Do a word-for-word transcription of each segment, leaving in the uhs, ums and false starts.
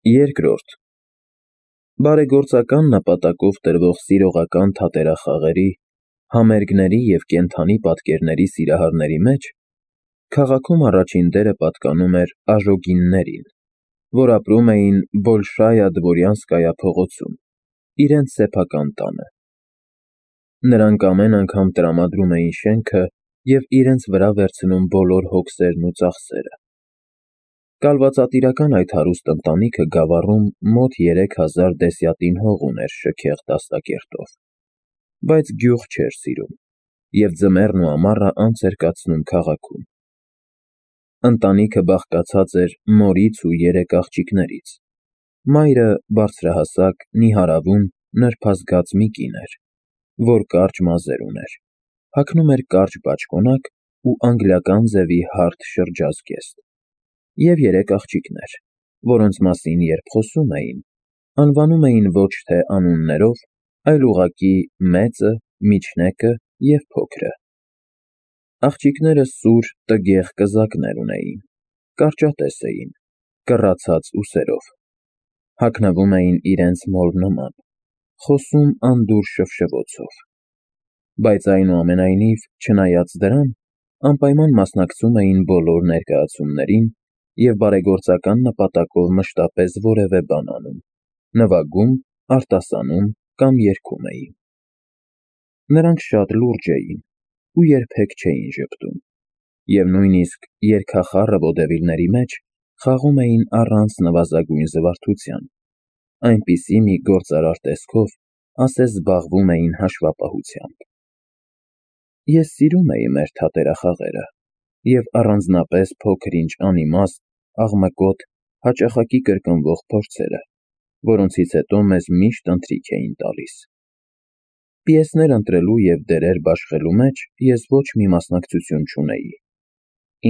Երկրորդ. Բարեգործական նպատակով տրվող սիրողական թատերախաղերի, համերգների և կենդանի պատկերների սիրահարների մեջ քաղաքում առաջին դերը պատկանում էր Աժոգիններին, որ ապրում էին Բոլշայա Դվորյանսկայա փողոցում, իրենց սեփական տանը։ Նրանք ամեն անգամ տրամադրում էին շենքը և իրենց վրա վերցնում բոլոր հոգսերն ու ծախսերը։ Կալվածատիրական այդ հարուստ ընտանիքը Գավառում մոտ երեք հազար դեսյատին հող ուներ շքեղ դաստակերտով, բայց գյուղ չէր սիրում և ձմեռն ու ամառը անց էր կացնում քաղաքում։ Ընտանիքը բաղկացած էր մորից ու երեք աղջիկներից։ Մայրը բարձրահասակ, նիհարավուն, նրբազգաց մի կին էր, որ կարճ մազեր ուներ, հագնում էր կարճ բաճկոնակ ու անգլիական ձևի հարթ շրջազգեստ, և երեք աղջիկներ, որոնց մասին երբ խոսում էին, անվանում էին ոչ թե անուններով, այլ ուղղակի մեծը, միջնեկը և փոքրը։ Աղջիկները սուր, տգեղ կզակներ ունեին, կարճատես էին, կռացած ուսերով, հագնվում էին իրենց մոր նման, խոսում անդուր շվշվոցով, բայց այնուամենայնիվ, չնայած դրան, անպայման մասնակցում էին բոլոր ներկայացումներին և բարեգործական նպատակով մշտապես որևէ բան անում, նվագում, արտասանում կամ երգում էին։ Նրանք շատ լուրջ էին ու երբեք չէին ժպտում, և նույնիսկ երգախառը վոդևիլների մեջ խաղում էին առանց նվազագույն զվարթության, այնպիսի մի գործարար տեսքով, ասես զբաղվում էին հաշվապահությամբ։ Ես սիրում էի մեր թատերախաղերը և առանձնապես փոքր-ինչ անիմաստ, աղմկոտ, հաճախակի կրկնվող փորձերը, որոնցից հետո մեզ միշտ ընթրիք էին տալիս։ Պիեսներ ընտրելու և դերեր բաշխելու մեջ ես ոչ մի մասնակցություն չունեի։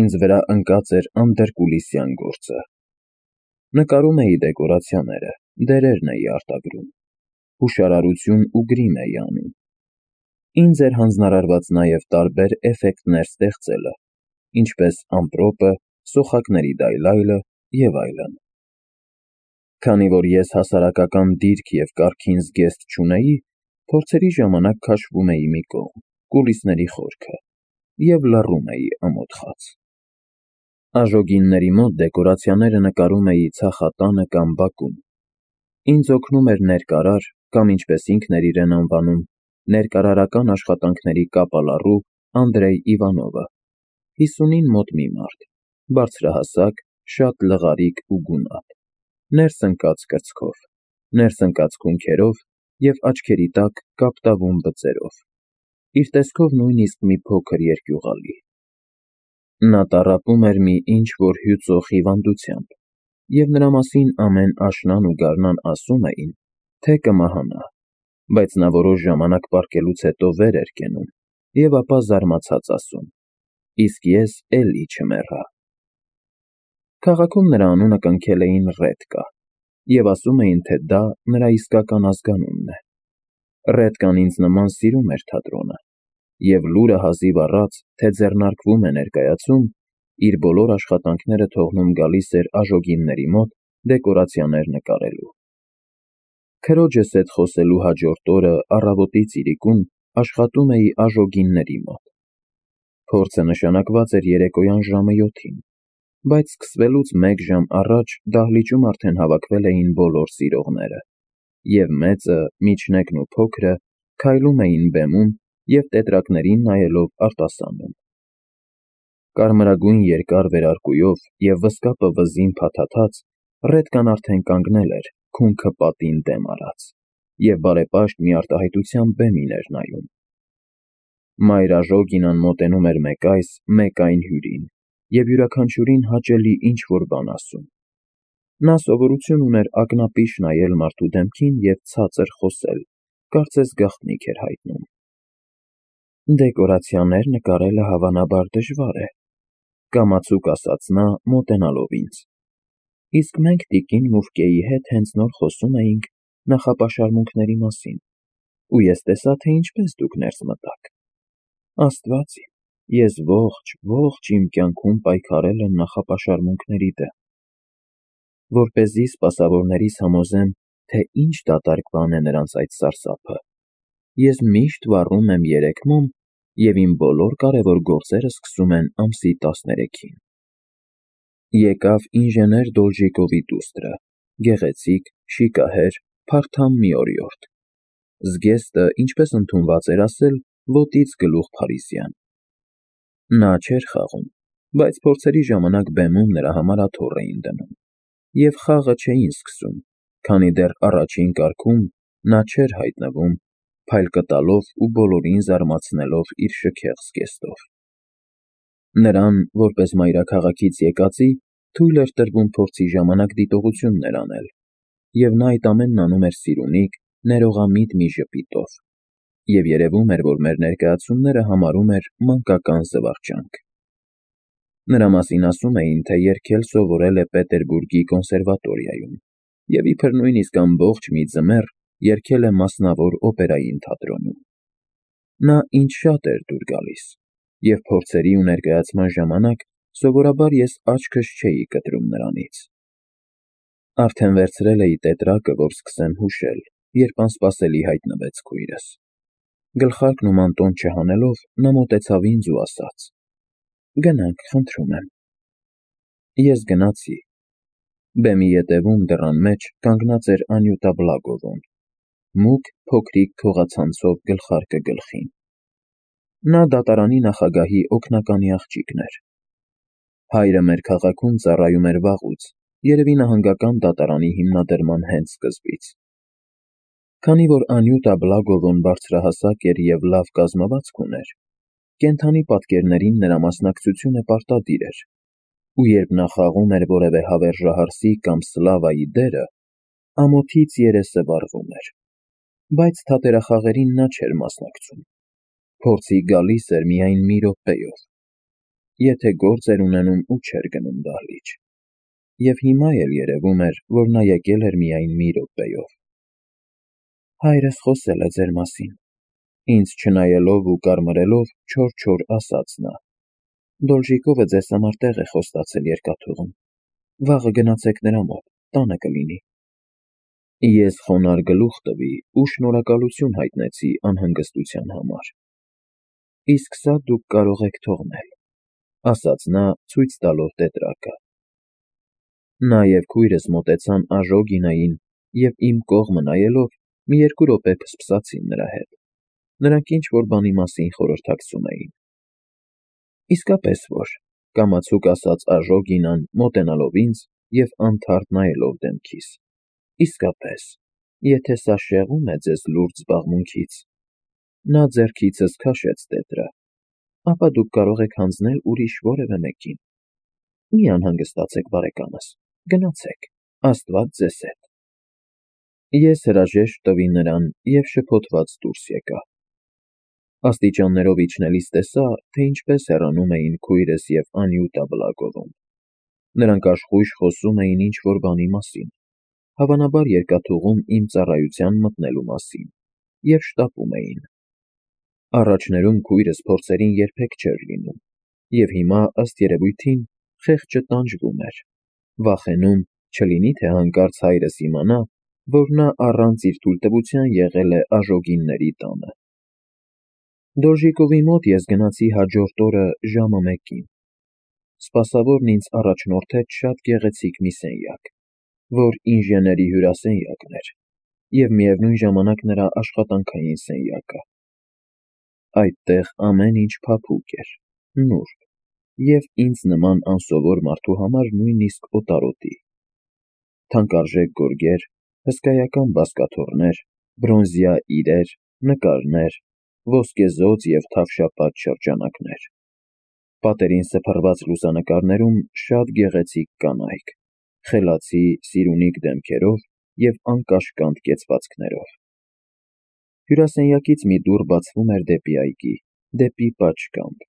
Ինձ վրա ընկած էր անդրկուլիսյան գործը։ Նկարում էի դեկորացիաները, դերերն էի արտագրում, հուշարարություն ու գրիմ էի անում։ Ինձ էր հանձնարարված նաև տարբեր էֆեկտներ ստեղծելը, ինչպես ամպրոպը, սոխակների դայլայլը և այլն։ Քանի որ ես հասարակական դիրք և կարգին զգեստ չունեի, փորձերի ժամանակ քաշվում էի մի կողմ, կուլիսների խորքը, և լռում էի ամոթխած։ Աժոգինների մոտ դեկորացիաները նկարում էի ցախատանը կամ բակում։ Ինձ օգնում էր ներկարար կամ, ինչպես ինքն էր իրեն անվանում, ներկարարական աշխատանքների կապալառու Անդրեյ Իվանովը, հիսունին մոտ մի մարդ, բարձրահասակ, շատ լղարիկ ու գունատ, ներս ընկած կրծքով, ներս ընկած քունքերով և աչքերի տակ կապտավուն բծերով, իր տեսքով նույնիսկ մի փոքր երկյուղալի։ Նա տառապում էր մի ինչ-որ հյուծող հիվանդությամբ, և նրա մասին ամեն աշնան ու գարնան ասում էին, թե կմահանա, բայց նա որոշ ժամանակ պառկելուց հետո վեր էր կենում և ապա զարմացած ասում. «Իսկ ես էլի չմեռա»։ Քաղաքում նրա անունը կնքել էին Ռետկա և ասում էին, թե դա նրա իսկական ազգանունն է։ Ռետկան ինձ նման սիրում էր թատրոնը, և լուրը հազիվ առած, թե ձեռնարկվում է ներկայացում, իր բոլոր աշխատանքները թողնում գալիս էր Աժոգինների մոտ դեկորացիաներ նկարելու։ Քրոջս հետ խոսելու հաջորդ օրը առավոտից իրիկուն աշխատում էի Աժոգինների մոտ։ Փորձը նշանակված էր երեկոյան ժամը յոթին, բայց սկսվելուց մեկ ժամ առաջ դահլիճում արդեն հավաքվել էին բոլոր սիրողները, և մեծը, միջնեկն ու փոքրը քայլում էին բեմում և տետրակներին նայելով արտասանում։ Կարմրագույն երկար վերարկուով և վզկապը վզին փաթաթած, Ռետկան արդեն կանգնել էր, քունքը պատին դեմ արած, և բարեպաշտ մի արտահայտությամբ բեմին էր նայում։ Մայր Աժոգինն մոտենում էր մեկ այս, մեկ այն հյուրին և յուրաքանչյուրին հաճելի ինչ-որ բան ասում։ Նա սովորություն ուներ ակնապիշ նայել մարդու դեմքին և ցածր խոսել, կարծես գաղտնիք էր հայտնում։ «Դեկորացիաներ նկարելը հավանաբար դժվար է», կամացուկ ասաց նա, մոտենալով ինձ, «իսկ մենք տիկին Մուֆկեի հետ հենց նոր խոսում էինք նախապաշարմունքների մասին, ու ես տեսա, թե ինչպես դուք ներս մտաք։ Աստված իմ, ես ողջ, ողջ իմ կյանքում պայքարել եմ նախապաշարմունքների դեմ։ որպեսզի սպասավորներիս համոզեմ, թե ինչ դատարկ բան է նրանց այդ սարսափը, ես միշտ վառում եմ երեքմոմ և իմ բոլոր կարևոր գործերը սկսում են ամսի տասներեքին։ Եկավ ինժեներ Դոլժիկովի դուստրը, գեղեցիկ, շիկահեր, փարթամ մի օրիորդ։ Զգեստը, ինչպես ընդունված էր ասել, ոտից գլուխ փարիզյան։ Նա չէր խաղում, բայց փորձերի ժամանակ բեմում նրա համար աթոռ էին դնում, և խաղը չէին սկսում, քանի դեռ առաջին կարգում նա չէր հայտնվում, փայլկը տալով ու բոլորին զարմացնելով իր շքեղ զգեստով։ Նրան, որպես մայրաքաղաքից եկածի, թույլ էր տրվում փորձի ժամանակ դիտողություններ անել, և նա այդ ամենն անում էր սիրունիկ, ներողամիտ մի ժպիտով, և երևում էր, որ մեր ներկայացումները համարում էր մանկական զվարճանք։ Նրա մասին ասում էին, թե երգել սովորել է Պետերբուրգի կոնսերվատորիայում և իբր նույնիսկ ամբողջ մի ձմեռ երգել է մասնավոր օպերային թատրոնում։ Նա ինձ շատ էր դուր գալիս, և փորձերի ու ներկայացման ժամանակ սովորաբար ես աչքս չէի կտրում նրանից։ Արդեն վերցրել էի տետրակը, որ սկսեմ հուշել, երբ անսպասելի հայտնվեց քույրս։ Գլխարկն ու մանտոն չհանելով, նա մոտեցավ ինձ ու ասաց. «Գնանք, խնդրում եմ»։ Ես գնացի։ Բեմի ետևում դռան մեջ կանգնած էր Անյուտա Բլագովոն, մուգ, փոքրիկ քողացանցով գլխարկը գլխին։ Նա դատարանի նախագահի օգնականի աղջիկն էր։ Հայրը մեր քաղաքում ծառայում էր վաղուց, երևի նահանգական դատարանի հիմնադրման հենց սկզբից։ Քանի որ Անյուտա Բլագովոն բարձրահասակ էր և լավ կազմվածք ուներ, կենդանի պատկերներին նրա մասնակցությունը պարտադիր էր, ու երբ նա խաղում էր որևէ հավերժահարսի կամ սլավայի դերը, ամոթից երեսը վառվում էր, բայց թատերախաղերին նա չէր մասնակցում, փորձի գալիս էր միայն մի րոպեով, եթե գործ էր ունենում ու չէր գնում դահլիճ, և հիմա էլ երևում էր, որ նա եկել էր միայն մի րոպեով։ Հայրս խոսել է ձեր մասին, ինձ չնայելով ու կարմրելով չոր-չոր ասաց նա, Դոլժիկովը ձեզ համար տեղ է խոստացել երկաթուղում, վաղը գնացեք նրա մոտ, տանը կլինի։ Ես խոնարհ գլուխ տվի ու շնորհակալություն հայտնեցի անհանգստության համար։ Իսկ սա դուք կարող եք թողնել, ասաց նա, ցույց տալով տետրակը։ Նա և քույրս մոտեցան Աժոգինային և իմ կողմը նայելով մի երկու րոպե փսփսացին նրա հետ, նրանք ինչ-որ բանի մասին խորհրդակցում էին։ Իսկապես որ, կամացուկ ասաց Աժոգինան, մոտենալով ինձ և անթարթ նայելով դեմքիս, իսկապես, եթե սա շեղում է ձեզ լուրջ զբաղմունքից, նա ձեռքիցս քաշեց տետրը, ապա դուք կարող եք հանձնել ուրիշ որևէ մեկին։ Մի անհանգստացեք, բարեկամս, գնացեք, Աստված ձեզ հետ։ Ես հրաժեշտ տվի նրան և շփոթված դուրս եկա։ Աստիճաններով իջնելիս տեսա, թե ինչպես հեռանում էին քույրս և Անյուտա Բլագովոն։ Նրանք աշխույժ խոսում էին ինչ-որ բանի մասին, հավանաբար երկաթուղում իմ ծառայության մտնելու մասին, և շտապում էին։ Առաջներում քույրս փորձերին երբեք չէր լինում, և հիմա, ըստ երևույթին, խեղճը տանջվում էր, վախենում, չլինի թե հանկարծ հայրս իմանա, որ նա առանց իր թույլտվության եղել է Աժոգինների տանը։ Դոլժիկովի մոտ ես գնացի հաջորդ օրը ժամը մեկին։ Սպասավորն ինձ առաջնորդեց շատ գեղեցիկ մի սենյակ, որ ինժեների հյուրասենյակն էր, և միևնույն ժամանակ նրա աշխատանքային սենյակը։ Այդտեղ ամեն ինչ փափուկ էր, նուրբ, և ինձ նման անսովոր մարդու համար նույնիսկ օտարոտի։ Թանկարժեք գորգեր, հսկայական բազկաթոռներ, բրոնզյա իրեր, նկարներ, ոսկեզօծ և թավշապատ շրջանակներ։ Պատերին սփռված լուսանկարներում շատ գեղեցիկ կանայք, խելացի, սիրունիկ դեմքերով և անկաշկանդ կեցվածքներով։ Հյուրասենյակից մի դուռ բացվում էր դեպի այգի, դեպի պատշգամբ։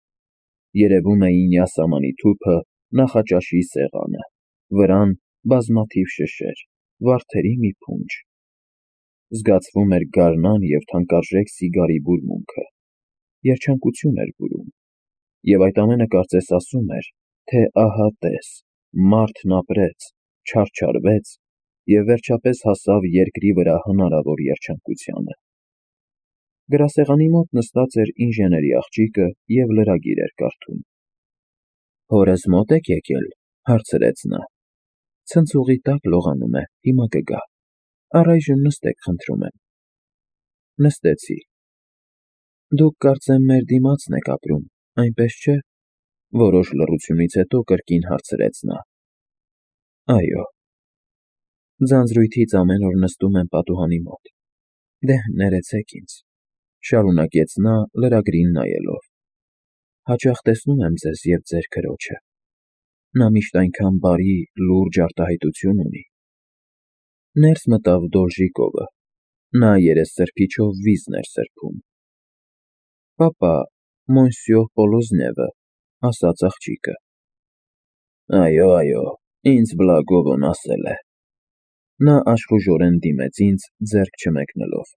Երևում էին յասամանի թուփը, նախաճաշի սեղանը, վրան բազմաթիվ շշեր, վարդերի մի փունջ։ Զգացվում էր գարնան և թանկարժեք սիգարի բուրմունքը, երջանկություն էր բուրում, և այդ ամենը կարծես ասում էր, թե ահա տես, մարդն ապրեց, չարչարվեց և վերջապես հասավ երկրի վրա հնարավոր երջանկությանը։ Գրասեղանի մոտ նստած էր ինժեների աղջիկը և լրագիր էր կարդում։ «Հորս մոտ եք եկել», հարցրեց նա։ «Ցնցուղի տակ լողանում է, հիմա կգա։ Առայժմ նստեք, խնդրում եմ»։ Նստեցի։ «Դուք կարծեմ մեր դիմացն եք ապրում, այնպես չէ՞», որոշ լռությունից հետո կրկին հարցրեց նա։ «Այո»։ «Ձանձրույթից ամեն օր նստում եմ պատուհանի մոտ։ Դե, ներեցեք ինձ», շարունակեց նա լրագրին նայելով։ «Հաճախ տեսնում եմ ձեզ և ձեր քրոջը։ Նա միշտ այնքան բարի, լուրջ արտահայտություն ունի»։ Ներս մտավ Դոլժիկովը։ Նա երեսսրբիչով վիզն էր սրբում։ «Պապա, Մոնսյոր Պոլոզնևը», ասաց աղջիկը։ «Այո, այո, ինձ Բլագովն ասել է»։ Նա աշխուժորեն դիմեց ինձ, ձեռք չմեկնելով։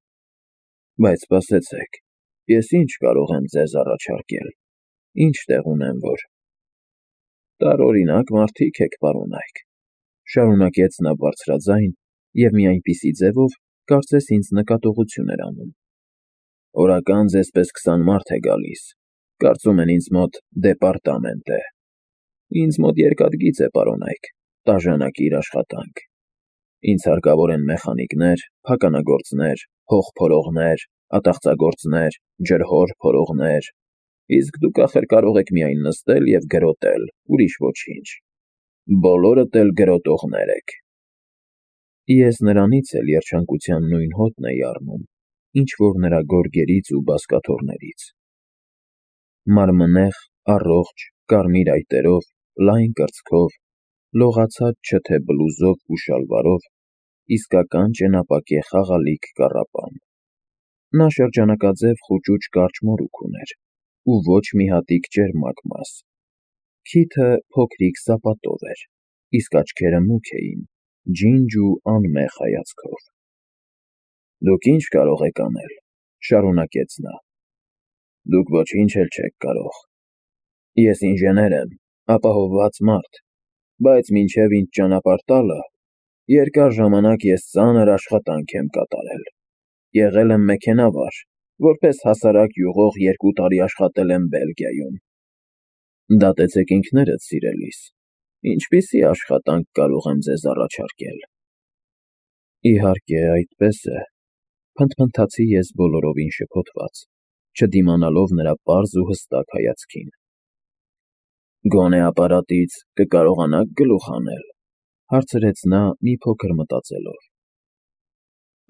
«Բայց սպասեցեք, ես ի՞նչ կարող եմ ձեզ առաջարկել, ինչ տեղ ունեմ, որ…» «Տարօրինակ մարդիկ եք, պարոնայք», շարունակեց նա բարձրաձայն և մի այնպիսի ձևով, կարծես ինձ նկատողություն էր անում։ «Օրական ձեզպես քսան մարդ է գալիս, կարծում են ինձ մոտ դեպարտամենտ է։ Ինձ մոտ երկաթգիծ է, պարոնայք, տաժանակիր աշխատանք։ Ինձ հարկավոր են մեխանիկներ, փականագործներ, հողփորողներ, ատաղծագործներ, ջրհոր փորողներ, իսկ դուք ախր կարող եք միայն նստել և գրոտել, ուրիշ ոչինչ։ Բոլորդ էլ գրոտողներ եք»։ Ես նրանից էլ երջանկության նույն հոտն էի առնում, ինչ որ նրա գորգերից ու բազկաթոռներից։ Մարմնեղ, առողջ, կարմիր այտերով, լայն կրծքով, լողացած չթե բլուզով ու շալվարով, իսկական ճենապակե խաղալիք կառապան։ Նա շրջանակաձև խուճուճ կարճ մորուք ուներ ու ոչ մի հատիկ ճերմակ մազ։ Քիթը փոքրիկ սապատով էր, իսկ աչքերը մուգ էին, ջինջ ու անմեղ հայացքով։ «Դուք ի՞նչ կարող եք անել», շարունակեց նա։ «Դուք ոչինչ էլ չեք կարող։ Ես ինժեներ եմ, ապահովված մարդ, բայց մինչև ինձ ճանապարհ տալը, երկար ժամանակ ես ծանր աշխատանք եմ կատարել։ Եղել եմ մեքենավար, որպես հասարակ յուղող երկու տարի աշխատել եմ Բելգիայում։ Դատեցեք ինքներդ, սիրելիս, ինչպիսի աշխատանք կարող եմ ձեզ առաջարկել»։ «Իհարկե, այդպես է», փնթփնթացի ես բոլորովին շփոթված, չդիմանալով նրա պարզ ու հստակ հայացքին։ «Գոնե ապարատից կկարողանա՞ք գլուխ հանել», հարցրեց նա մի փոքր մտածելով։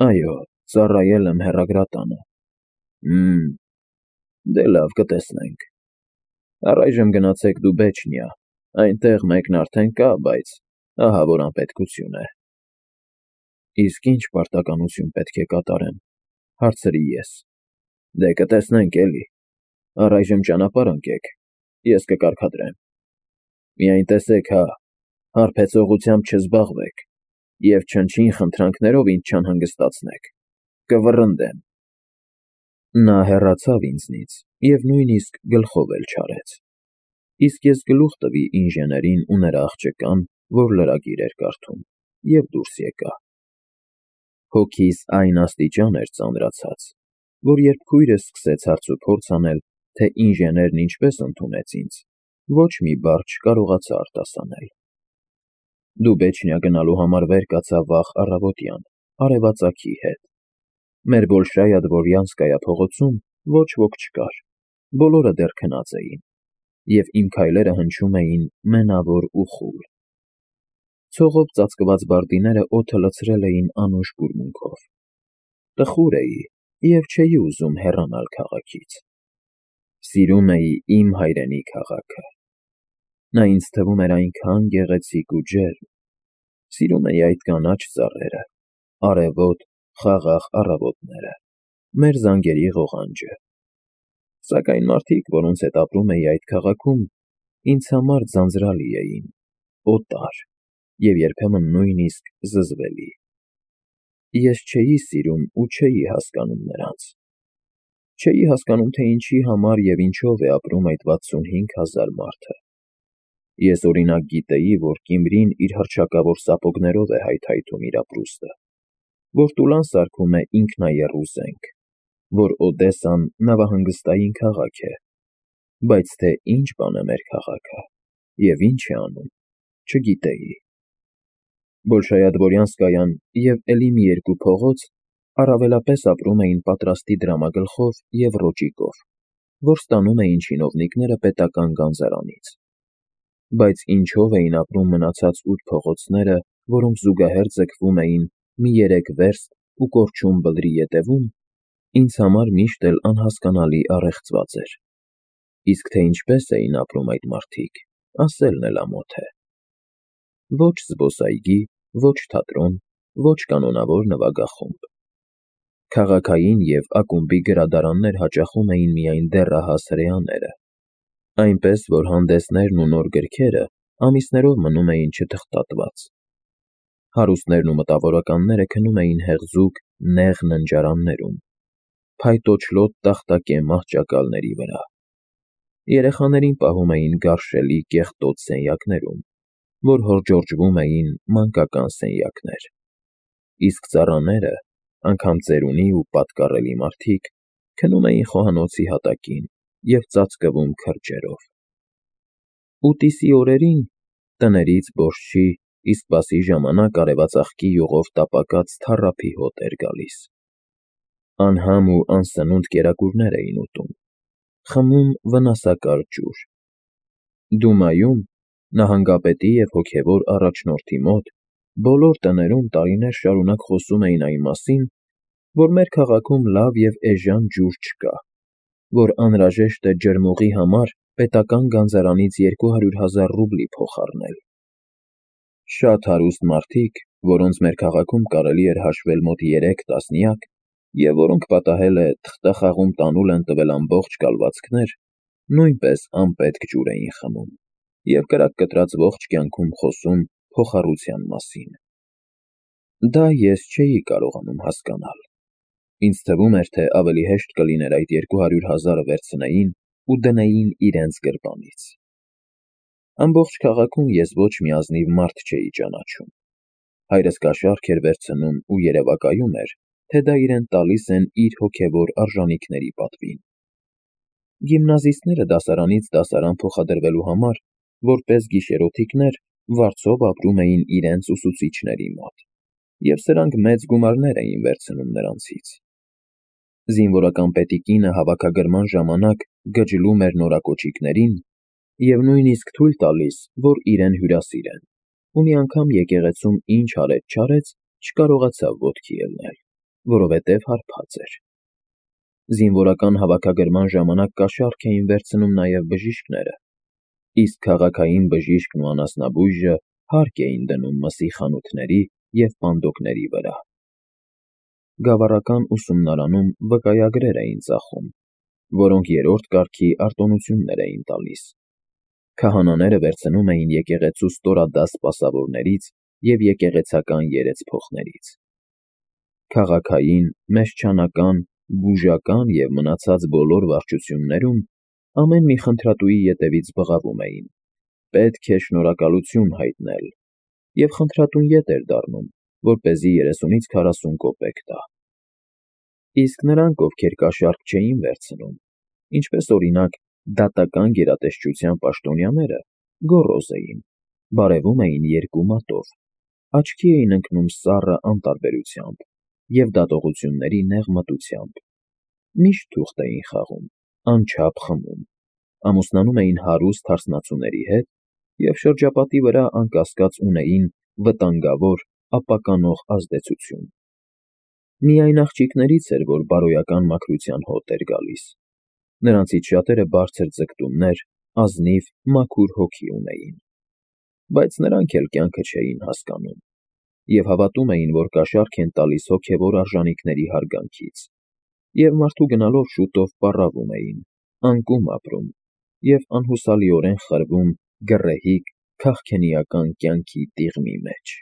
«Այո, ծառայել եմ հեռագրատանը»։ Հըմ, դե լավ, կտեսնենք։ Առայժմ գնացեք Դուբեչնիա, այնտեղ մեկն արդեն կա, բայց ահա որ անպետքություն է։ «Իսկ ի՞նչ պարտականություն պետք է կատարեմ», հարցրի ես։ «Դե կտեսնենք էլի։ Առայժմ ճանապարհ ընկեք, ես կկարգադրեմ։ Միայն տեսեք հա, հարբեցողությամբ չզբաղվեք և չնչին խնդրանքներով ինձ չանհանգստացնեք, կվռնդեմ»։ Նա հեռացավ ինձնից և նույնիսկ գլխով էլ չարեց։ Իսկ ես գլուխ տվի ինժեներին ու նրա աղջկան, որ լրագիր էր կարդում, և դուրս եկա։ Հոգիս այն աստիճան էր ծանրացած, որ երբ քույրս սկսեց հարցուփորձ անել, թե ինժեներն ինչպես ընդունեց ինձ, ոչ մի բառ չկարողացա արտասանել։ Դուբեչնիա գնալու համար վեր կացա վաղ առավոտյան, արևածագի հետ։ Մեր Բոլշայա Դվորյանսկայա փողոցում ոչ ոք չկար, բոլորը դեռ քնած էին, և իմ քայլերը հնչում էին մենավոր ու խուլ։ Ցողով ծածկված բարդիները օդը լցրել էին անուշ բուրմունքով։ Տխուր էի և չէի ուզում հեռանալ քաղաքից։ Սիրում էի իմ հայրենի քաղաքը։ Նա ինձ թվում էր այնքան գեղեցիկ ու ջերմ։ Սիրում էի այդ կանաչ ծառերը, արևոտ, խաղաղ առավոտները, մեր զանգերի ղողանջը։ Սակայն մարդիկ, որոնց հետ ապրում էի այդ քաղաքում, ինձ համար ձանձրալի էին, օտար և երբեմն նույնիսկ զզվելի։ Ես չէի սիրում ու չէի հասկանում նրանց։ Չէի հասկանում, թե ինչի համար և ինչով է ապրում այդ վաթսունհինգ հազար մարդը։ Ես օրինակ գիտեի, որ Կիմրին իր հռչակավոր սապոգներով է հայթայթում իր ապրուստը, որ Տուլան սարքում է ինքնաեռու զենք, որ Օդեսան նավահանգստային քաղաք է, բայց թե ինչ բան է մեր քաղաքը և ինչ է անում, չգիտեի։ Բոլշայադ-Բորյանսկայան և էլի մի երկու փողոց առավելապես ապրում էին պատրաստի դրամագլխով և ռոճիկով, որ ստանում էին չինովնիկները պետական գանձարանից։ Բայց ինչով էին ապրում մնացած ութ փողոցները, որոնք զուգահեռ ձգվում էին մի երեք վերստ ու կորչուն բլրի ետևում, ինձ համար միշտ էլ անհասկանալի առեղծված էր։ Իսկ թե ինչպես էին ապրում այդ մարդիկ, ասելն էլ ամոթ է։ Ոչ զբոսայգի, ոչ թատրոն, ոչ կանոնավոր նվագախումբ։ Քաղաքային և ակումբի գրադարաններ հաճախում էին միայն դեռահաս հրեաները, այնպես որ հանդեսներն ու նոր գրքերը ամիսներով մնում էին չթղթատված։ Հարուստներն ու մտավորականները քնում էին հեղձուկ, նեղ ննջարաններում, փայտոջլոտ տախտակե մահճակալների վրա։ Երեխաներին պահում էին գարշելի կեղտոտ սենյակներում, որ հորժորջվում էին մանկական սենյակներ, իսկ ծառաները, անգամ ծերունի ու պատկառելի մարդիկ, քնում էին խոհանոցի հատակին և ծածկվում քրջերով։ Ուտիսի օրերին տներից բորջի, իսկ պասի ժամանակ արևածաղկի յուղով տապակած թառափի հոտ էր գալիս։ Անհամ ու անսնունդ կերակուրներ էին ուտում, խմում վնասակար ջուր։ Դումայում, նահանգապետի և հոգևոր առաջնորդի մոտ, բոլոր տներում տարիներ շարունակ խոսում էին այն մասին, որ մեր քաղաքում լավ և էժան ջուր չկա, որ անհրաժեշտ է ջրմուղի համար պետական գանձարանից երկու հարյուր հազար ռուբլի փոխ առնել։ Շատ հարուստ մարդիկ, որոնց մեր քաղաքում կարելի էր հաշվել մոտ երեք տասնյակ, և որոնք պատահել է թղթախաղում տանուլ են տվել ամբողջ կալվածքներ, նույնպես անպետք ջուր էին խմում և կրակ կտրած ողջ կյանքում խոսում փոխառության մասին։ Դա ես չէի կարողանում հասկանալ։ Ինձ թվում էր, թե ավելի հեշտ կլիներ այդ երկու հարյուր հազարը վերցնեին ու դնեին իրենց գրպանից։ Ամբողջ քաղաքում ես ոչ մի ազնիվ մարդ չէի ճանաչում։ Հայրս կաշառք էր վերցնում ու երևակայում էր, թե դա իրեն տալիս են իր հոգևոր արժանիքների պատվին։ Գիմնազիստները դասարանից դասարան փոխադրվելու համար, որպես գիշերօթիկներ, վարձով ապրում էին իրենց ուսուցիչների մոտ, և սրանք մեծ գումարներ էին վերցնում նրանցից։ Զինվորական պետի կինը հավաքագրման ժամանակ գջլում էր նորակոճիկներին և նույնիսկ թույլ տալիս, որ իրեն հյուրասիրեն, ու մի անգամ եկեղեցում ինչ արեց-չարեց, չկարողացավ ոտքի ելնել, որովհետև հարբած էր։ Զինվորական հավաքագրման ժամանակ կաշառք էին վերցնում նաև բժիշկները, իսկ քաղաքային բժիշկն ու անասնաբույժը հարկ էին դնում մսի խանութների և պանդոկների վրա։ Գավառական ուսումնարանում վկայագրեր էին ծախում, որոնք երրորդ կարգի արտոնություններ էին տալիս։ Քահանաները վերցնում էին եկեղեցու ստորադաս սպասավորներից և եկեղեցական երեցփոխներից։ Քաղաքային, մեշչանական, բուժական և մնացած բոլոր վարչություններում ամեն մի խնդրատուի ետևից բղավում էին. պետք է շնորհակալություն հայտնել, և խնդրատուն ետ էր դառնում, որպեսզի երեսունից քառասուն կոպեկ տա։ Իսկ նրանք, ովքեր կաշառք չէին վերցնում, ինչպես օրինակ դատական գերատեսչության պաշտոնյաները, գոռոզ էին, բարևում էին երկու մատով, աչքի էին ընկնում սառը անտարբերությամբ և դատողությունների նեղ մտությամբ, միշտ թուղթ էին խաղում, անչափ խմում, ամուսնանում էին հարուստ հարսնացուների հետ և շրջապատի վրա անկասկած ունեին վտանգավոր, ապականող ազդեցություն։ Միայն աղջիկներից էր, որ բարոյական մաքրության հոտ էր գալիս։ Նրանցից շատերը բարձր ձգտումներ, ազնիվ, մաքուր հոգի ունեին։ Բայց նրանք էլ կյանքը չէին հասկանում և հավատում էին, որ կաշառք են տալիս հոգևոր արժանիքների հարգանքից, և մարդու գնալով շուտով պառավում էին, անկում ապրում և անհուսալիորեն խրվում գռեհիկ քաղքենիական կյանքի տիղմի մեջ։